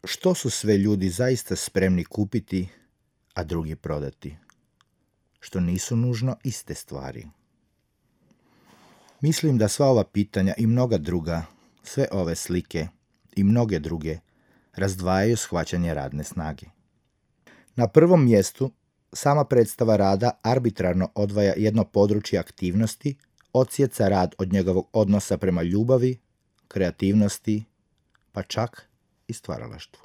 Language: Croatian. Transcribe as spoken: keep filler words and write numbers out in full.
što su sve ljudi zaista spremni kupiti, a drugi prodati, što nisu nužno iste stvari. Mislim da sva ova pitanja i mnoga druga, sve ove slike i mnoge druge, razdvajaju shvaćanje radne snage. Na prvom mjestu, sama predstava rada arbitrarno odvaja jedno područje aktivnosti, odsjeca rad od njegovog odnosa prema ljubavi, kreativnosti, pa čak i stvaralaštvu.